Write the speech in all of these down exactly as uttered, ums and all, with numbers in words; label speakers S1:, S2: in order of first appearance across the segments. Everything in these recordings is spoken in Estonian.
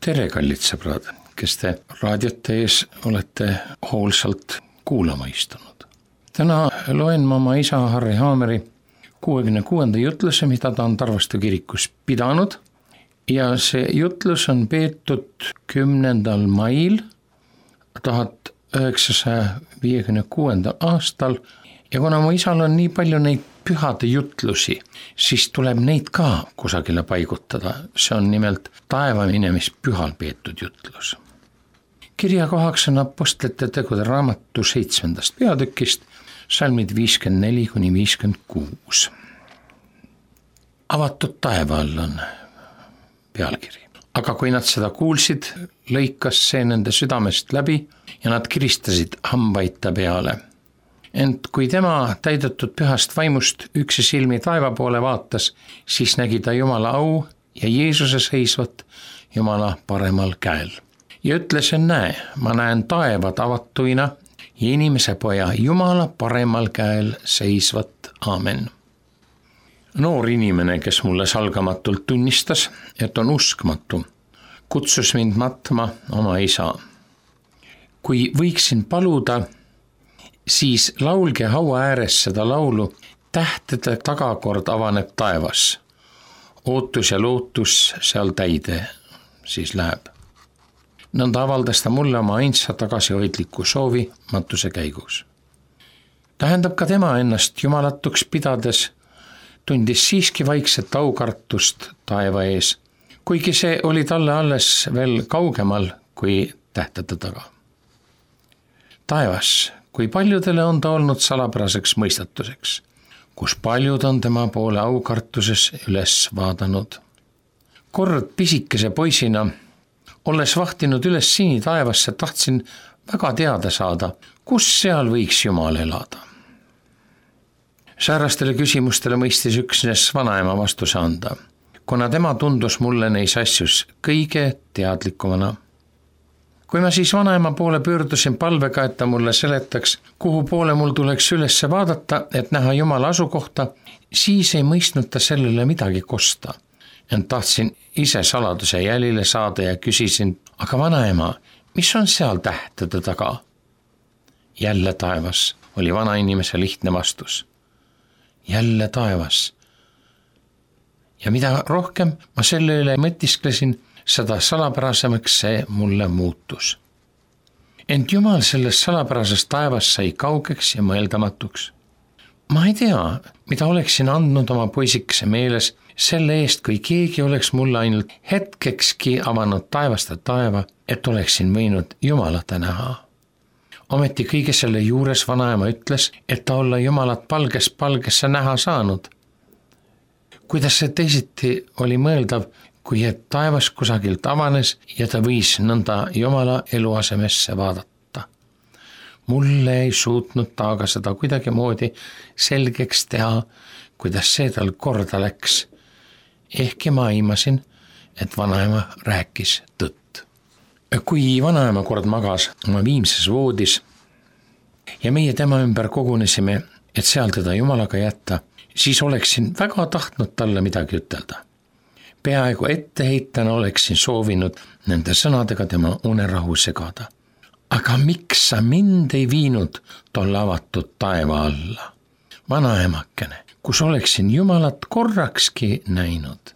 S1: tere, kallid sõbrad, kes te raadiote ees olete hoolsalt kuulama istunud. Täna loen ma oma isa Harri Haameri kuuekümne kuuenda jutluse, mida ta on Tarvastu kirikus pidanud, ja see jutlus on peetud kümnendal mail tuhat üheksasaja viiekümne kuuendal aastal, ja kuna mu isal on nii palju neid pühade jutlusi, siis tuleb neid ka kusagile paigutada. See on nimelt taeva minemispühal peetud jutlus. Kirja kohaks on Apostlite tegude raamatu seitsmendast peatükist, salmid viiskümmend neli kuni viiskümmend kuus. Avatud taeva all on pealkiri. Aga kui nad seda kuulsid, lõikas see nende südamest läbi ja nad kiristasid hambaid ta peale. Ent kui tema täidetud pühast vaimust üksi silmi taeva poole vaatas, siis nägi ta Jumala au ja Jeesuse seisvat Jumala paremal käel. Ja ütles, et näe, ma näen taevad avatuina ja inimese poja Jumala paremal käel seisvat. Aamen. Noor inimene, kes mulle salgamatult tunnistas, et on uskmatu, kutsus mind matma oma isa. Kui võiksin paluda, siis laulge haua ääres seda laulu, tähtede tagakord avaneb taevas. Ootus ja lootus seal täide siis läheb. Nõnda avaldas ta mulle oma ainsa tagasihoidliku soovi matuse käigus. Tähendab ka tema ennast jumalatuks pidades, tundis siiski vaikset aukartust taeva ees, kuigi see oli talle alles veel kaugemal kui tähtede taga. Taevas, kui paljudele on ta olnud salapäraseks mõistatuseks, kus paljud on tema poole aukartuses üles vaadanud. Kord pisikese poisina, olles vahtinud üles sini taevasse, tahtsin väga teada saada, kus seal võiks Jumal elada. Säärastele küsimustele mõistis üksnes vanaema vastuse anda, kuna tema tundus mulle neis asjus kõige teadlikumana. Kui ma siis vanaema poole pöördusin palvega, et ta mulle seletaks, kuhu poole mul tuleks üles vaadata, et näha Jumala asukohta, siis ei mõistnud ta sellele midagi kosta. Ent tahtsin ise saladuse jälile saada ja küsisin, aga vanaema, mis on seal tähtede taga? Jälle taevas, oli vanainimese lihtne vastus. Jälle taevas. Ja mida rohkem ma selle üle mõtisklesin, seda salapärasemaks see mulle muutus. Ent Jumal sellest salapärasest taevast sai kaugeks ja mõeldamatuks. Ma ei tea, mida oleksin andnud oma poisikese meeles selle eest, kui keegi oleks mulle ainult hetkekski avanud taevast ja taeva, et oleksin võinud Jumalata näha. Ometi kõige selle juures vanaema ütles, et ta olla Jumalat palges palgesse näha saanud. Kuidas see teisiti oli mõeldav, kui et taevas kusagilt avanes ja ta võis nõnda Jumala eluasemesse vaadata. Mulle ei suutnud ta aga seda kuidagi moodi selgeks teha, kuidas see tal korda läks. Ehkki ma aimasin, et vanaema rääkis tõtt. Kui vanaema kord magas oma viimses voodis ja meie tema ümber kogunesime, et seal teda Jumalaga jätta, siis oleksin väga tahtnud talle midagi ütelda. Peaaegu etteheitana oleksin soovinud nende sõnadega tema unerahu segada. Aga miks sa mind ei viinud tolle avatud taeva alla? Vanaemakene, kus oleksin Jumalat korrakski näinud.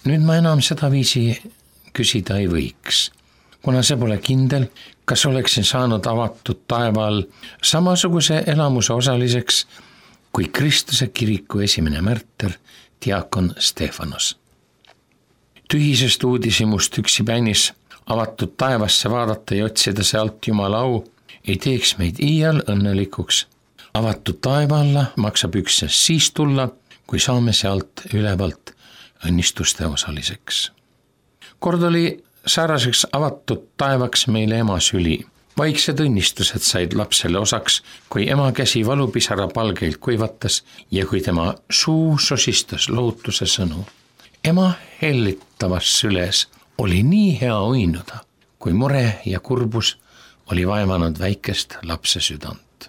S1: Nüüd ma enam seda viisi küsida ei võiks, kuna see pole kindel, kas oleksin saanud avatud taeva all samasuguse elamuse osaliseks kui Kristuse kiriku esimene märter, diakon Stefanos. Tühisest uudishimust üksi päinis avatud taevasse vaadata ja otsida sealt Jumala au ei teeks meid iial õnnelikuks. Avatud taeva alla maksab üksnes siis tulla, kui saame sealt ülevalt õnnistuste osaliseks. Kord oli sääraseks avatud taevaks meile ema süli. Vaiksed õnnistused said lapsele osaks, kui ema käsi valupisara palgeilt kuivatas ja kui tema suu sosistas lohutuse sõnu. Ema hellitavas süles oli nii hea uinuda, kui mure ja kurbus oli vaevanud väikest lapse südant.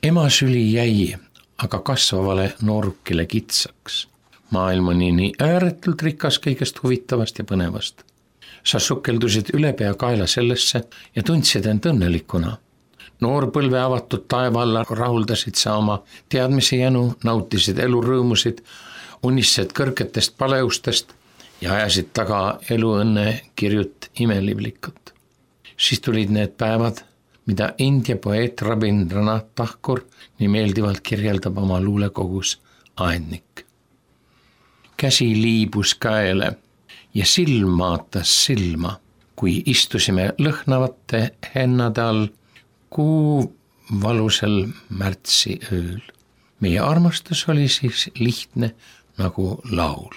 S1: Ema süli jäi aga kasvavale noorukile kitsaks. Maailm on nii ääretult rikas kõigest huvitavast ja põnevast. Sa sukeldusid ülepea kaela sellesse ja tundsid end õnnelikuna. Noorpõlve avatud taeva alla rahuldasid sa oma teadmise jänu, nautisid elu rõõmusid, unistasid kõrgetest paleustest ja ajasid taga elu õnne kirjut imelivlikut. Siis tulid need päevad, mida India poeet Rabindranath Tagore nii meeldivalt kirjeldab oma luulekogus Aednik. Käsi liibus käele ja silm vaatas silma, kui istusime lõhnavate hennade all kuu valusel märtsi ööl. Meie armastus oli siis lihtne nagu laul.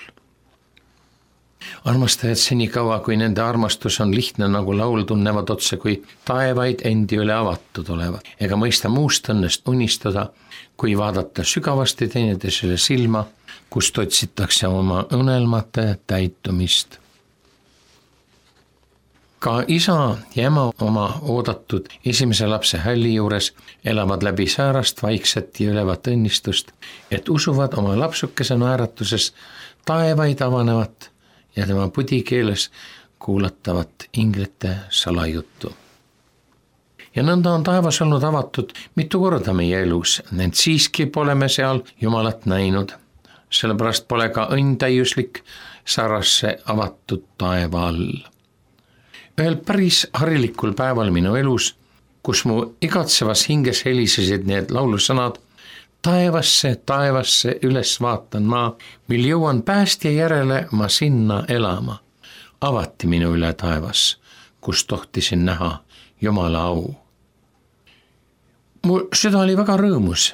S1: Armastajad senikaua, kui nende armastus on lihtne nagu laul, tunnevad otse, kui taevaid endi üle avatud olevat, ega mõista muust õnnest unistada, kui vaadata sügavasti teineteisele silma, kust otsitakse oma unelmate täitumist. Ka isa ja ema oma oodatud esimese lapse hälli juures elavad läbi säärast, vaikset ja ülevat õnnistust, et usuvad oma lapsukese naeratuses taevaid avanevat ja tema pudikeeles kuulatavat inglite salajuttu. Ja nõnda on taevas olnud avatud mitu korda meie elus, ent siiski pole me seal Jumalat näinud. Sellepärast pole ka õnn täiuslik sarrasse avatud taeva all. Ühel päris harilikul päeval minu elus, kus mu igatsevas hinges helisesid need laulusõnad, taevasse, taevasse üles vaatan ma, mil jõuan päästja järele ma sinna elama. Avati minu üle taevas, kus tohtisin näha Jumala au. Mu süda oli väga rõõmus.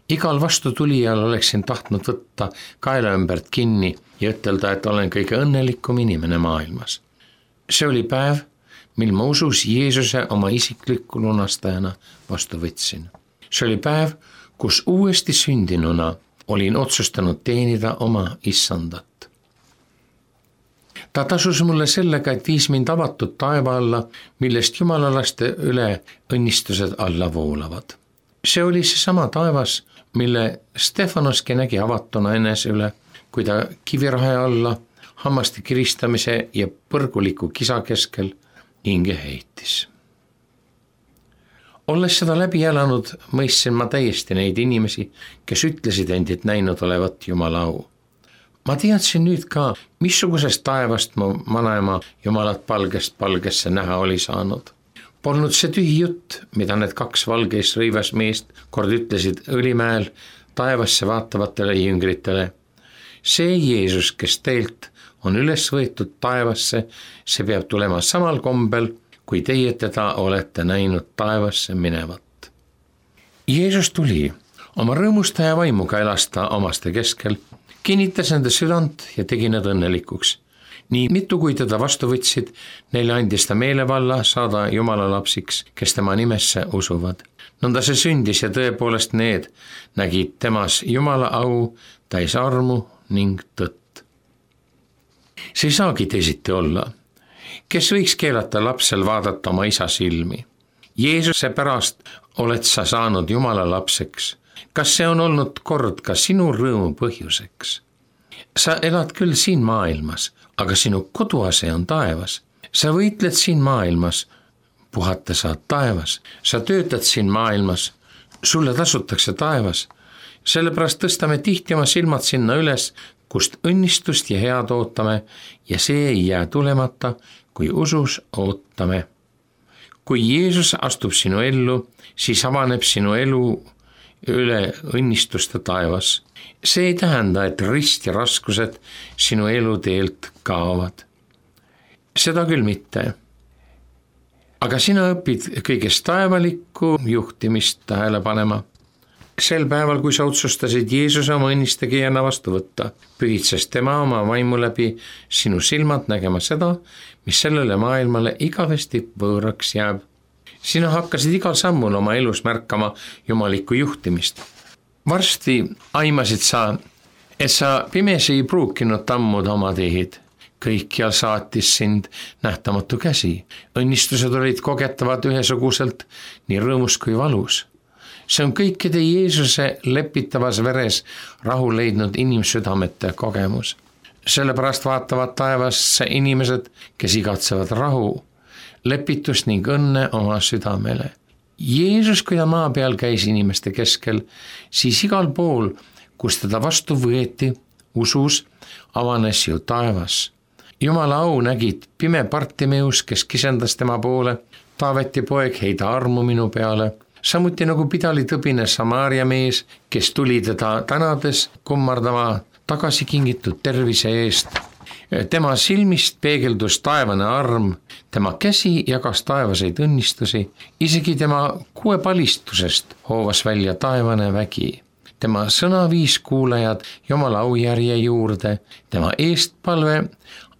S1: Igal vastu tulijal oleksin tahtnud võtta kaela ümbert kinni ja ütelda, et olen kõige õnnelikum inimene maailmas. See oli päev, mil ma usus Jeesuse oma isikliku lunastajana vastu võtsin. See oli päev, kus uuesti sündinuna olin otsustanud teenida oma issandat. Ta tasus mulle sellega, et viis mind avatud taeva alla, millest jumalalaste üle õnnistused alla voolavad. See oli see sama taevas, mille Stefanoski nägi avatuna enese üle, kui ta kivirahe alla hammaste kiristamise ja põrguliku kisa keskel hinge heitis. Olles seda läbi elanud, mõistsin ma täiesti neid inimesi, kes ütlesid endid näinud olevat Jumala au. Ma teadsin nüüd ka, missugusest taevast mu vanaema Jumalat palgest palgesse näha oli saanud. Polnud see tühi jutt, mida need kaks valgeis rõivas meest kord ütlesid Õlimäel taevasse vaatavatele jüngritele. See Jeesus, kes teilt on üles võetud taevasse, see peab tulema samal kombel, kui teie teda olete näinud taevasse minevat. Jeesus tuli oma rõõmustaja vaimuga elasta omaste keskel, kinnitas enda südant ja tegi nad õnnelikuks. Nii mitu, kui teda vastu võtsid, neile andis ta meelevalla saada Jumala lapsiks, kes tema nimesse usuvad. Nõnda see sündis ja tõepoolest need nägid temas Jumala au, täis armu ning tõtt. See ei saagi teisiti olla. Kes võiks keelata lapsel vaadata oma isa silmi? Jeesuse pärast oled sa saanud Jumala lapseks. Kas see on olnud kord ka sinu rõõmu põhjuseks? Sa elad küll siin maailmas, aga sinu koduase on taevas. Sa võitled siin maailmas, puhata saad taevas. Sa töötad siin maailmas, sulle tasutakse taevas. Sellepärast tõstame tihti oma silmad sinna üles, kust õnnistust ja head ootame ja see ei jää tulemata, kui usus ootame. Kui Jeesus astub sinu ellu, siis avaneb sinu elu üle õnnistuste taevas. See ei tähenda, et rist ja raskused sinu eluteelt kaovad. Seda küll mitte. Aga sina õpid kõigest taevalikku juhtimist tähele panema. Sel päeval, kui sa otsustasid Jeesuse oma õnnistegijana vastu võtta, pühitses tema oma vaimu läbi sinu silmad nägema seda, mis sellele maailmale igavesti võõraks jääb. Sina hakkasid igal sammul oma elus märkama jumalikku juhtimist. Varsti aimasid sa, et sa pimesi ei pruukinud tammuda oma teed. Kõikjal saatis sind nähtamatu käsi. Õnnistused olid kogetavad ühesuguselt, nii rõõmus kui valus. See on kõikide Jeesuse lepitavas veres rahu leidnud inimsüdamete kogemus. sellepärast vaatavad taevasse inimesed, kes igatsevad rahu, lepitust ning õnne oma südamele. Jeesus, kui ta maa peal käis inimeste keskel, siis igal pool, kus teda vastu võeti, usus, avanes ju taevas. Jumala au nägid pime Bartimeus, kes kisendas tema poole, Taaveti poeg, heida armu minu peale, samuti nagu pidali tõbine Samaaria mees, kes tuli teda tänades kummardama tagasi kingitud tervise eest. Tema silmist peegeldus taevane arm, tema käsi jagas taevaseid õnnistusi, isegi tema kuepalistusest hoovas välja taevane vägi. Tema sõna viis kuulajad Jumala aujärje juurde, tema eestpalve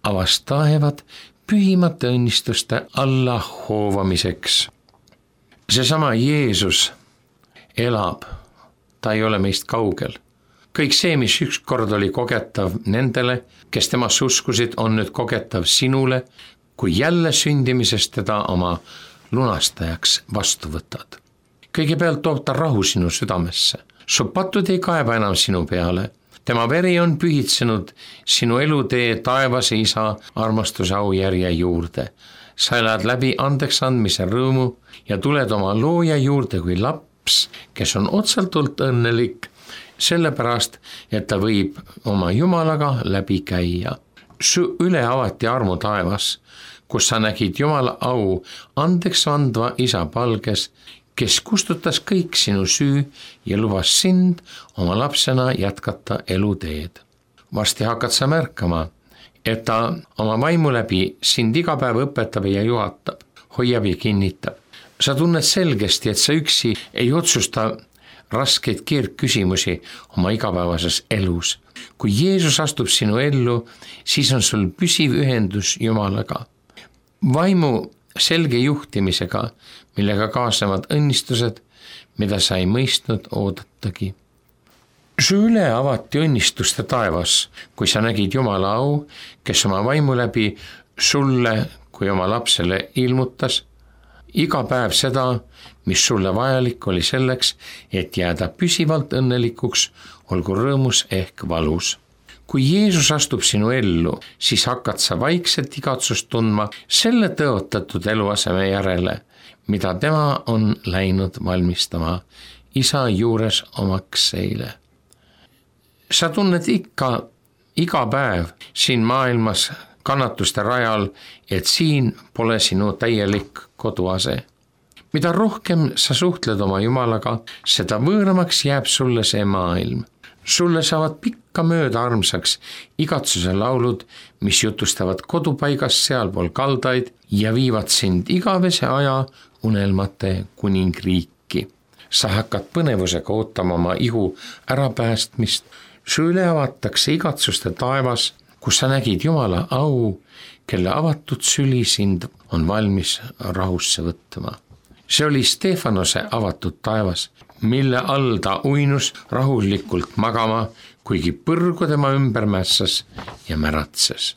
S1: avas taevad pühimate õnnistuste alla hoovamiseks. Seesama Jeesus elab, ta ei ole meist kaugel. Kõik see, mis ükskord oli kogetav nendele, kes temast uskusid, on nüüd kogetav sinule, kui jälle sündimisest teda oma lunastajaks vastu võtad. Kõigepealt toob ta rahu sinu südamesse. Su patud ei kaeba enam sinu peale. Tema veri on pühitsenud sinu elutee taevase isa armastuse aujärje juurde. Sa elad läbi andeks andmise rõõmu ja tuled oma looja juurde kui laps, kes on otsaltult õnnelik, sellepärast, et ta võib oma Jumalaga läbi käia. Su üle avati armu taevas, kus sa nägid Jumala au andeks andva isa palges, kes kustutas kõik sinu süü ja lubas sind oma lapsena jätkata eluteed. Varsti hakkad sa märkama, et ta oma vaimu läbi sind iga päev õpetab ja juhatab, hoiab ja kinnitab. Sa tunned selgesti, et sa üksi ei otsusta raskeid keerdküsimusi oma igapäevases elus. Kui Jeesus astub sinu ellu, siis on sul püsiv ühendus Jumalaga. Vaimu selge juhtimisega, millega kaasnevad õnnistused, mida sa ei mõistnud oodatagi. Su üle avati õnnistuste taevas, kui sa nägid Jumala au, kes oma vaimu läbi sulle kui oma lapsele ilmutas, iga päev seda, mis sulle vajalik oli selleks, et jääda püsivalt õnnelikuks, olgu rõõmus ehk valus. Kui Jeesus astub sinu ellu, siis hakkad sa vaikselt igatsust tundma selle tõotatud eluaseme järele, mida tema on läinud valmistama isa juures omaks seile. Sa tunned ikka iga päev siin maailmas kannatuste rajal, et siin pole sinu täielik koduase. Mida rohkem sa suhtled oma Jumalaga, seda võõramaks jääb sulle see maailm. Sulle saavad pikka mööda armsaks igatsuse laulud, mis jutustavad kodupaigast sealpool kaldaid ja viivad sind igavese aja unelmate kuningriiki. Sa hakkad põnevusega ootama oma ihu ärapäästmist, su üle avatakse igatsuste taevas, kus sa nägid Jumala au, kelle avatud süli sind on valmis rahusse võtma. See oli Stefanose avatud taevas, mille all ta uinus rahulikult magama, kuigi põrgu tema ümber mässas ja märatses.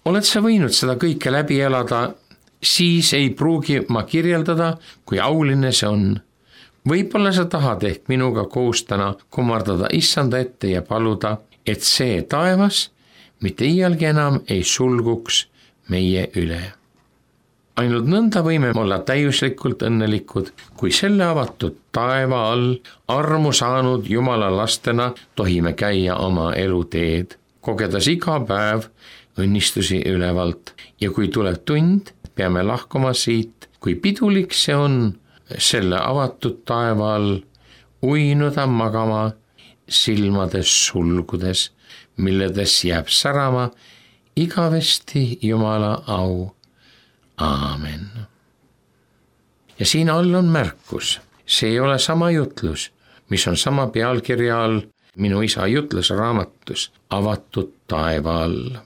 S1: Oled sa võinud seda kõike läbi elada, siis ei pruugi ma kirjeldada, kui auline see on. Võib-olla sa tahad ehk minuga koos täna kummardada issanda ette ja paluda, et see taevas mitte iialgi enam ei sulguks meie üle. Ainult nõnda võime olla täiuslikult õnnelikud, kui selle avatud taeva all armu saanud Jumala lastena tohime käia oma eluteed, kogedes iga päev õnnistusi ülevalt ja kui tuleb tund, peame lahkuma siit, kui pidulik see on selle avatud taeva all uinuda magama silmades sulgudes, milledes jääb särama igavesti Jumala au. Aamen. Ja siin all on märkus, see ei ole sama jutlus, mis on sama pealkirja all minu isa jutlusraamatus avatud taeva all.